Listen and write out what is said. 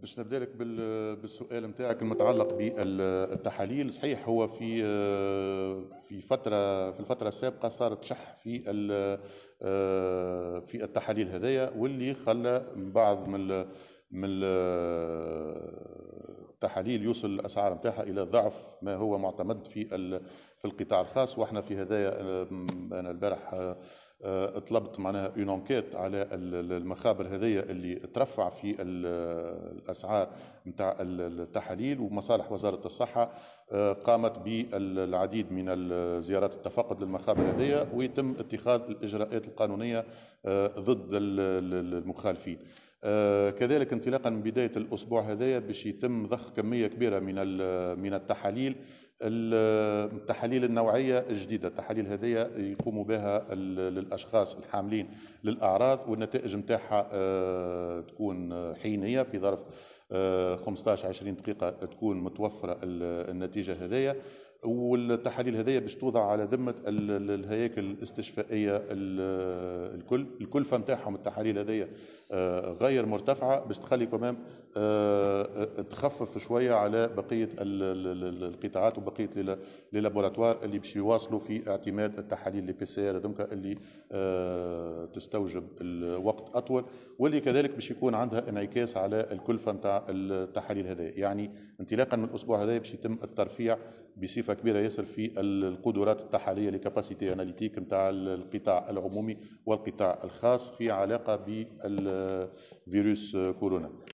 باش نبدا لك بالسؤال نتاعك المتعلق بالتحاليل. صحيح، هو في الفترة السابقة صارت شح في التحاليل هذيا، واللي خلى بعض من التحاليل يوصل الاسعار نتاعها الى ضعف ما هو معتمد في القطاع الخاص. واحنا في هذايا انا البارح طلبت معناها une enquête على المخابر هذيا اللي ترفع في الاسعار نتاع التحاليل، ومصالح وزارة الصحة قامت بالعديد من الزيارات التفقد للمخابر هذيا، ويتم اتخاذ الاجراءات القانونية ضد المخالفين. كذلك انطلاقا من بداية الاسبوع هذايا باش يتم ضخ كمية كبيرة من التحاليل، التحاليل النوعية الجديده. التحاليل هذه يقوموا بها للاشخاص الحاملين للاعراض، والنتائج نتاعها تكون حينيه، في ظرف 15 20 دقيقة تكون متوفرة النتيجة هذيا. والتحاليل هذيا باش توضع على ذمه الهياكل الاستشفائيه الكل. الكلفة نتاعهم التحاليل هذيا غير مرتفعه، باش تخلي quand même تخفف شوية على بقية القطاعات وبقية les laboratoires اللي باش يواصلوا في اعتماد التحاليل les PCR هذوك اللي تستوجب الوقت اطول، واللي كذلك باش يكون عندها انعكاس على الكلفة نتاع التحاليل هذه. يعني انطلاقا من الاسبوع هذا باش يتم الترفيع بصفة كبيرة ياسر في القدرات التحاليليه، les capacités analytiques نتاع القطاع العمومي والقطاع الخاص في علاقة بالفيروس كورونا.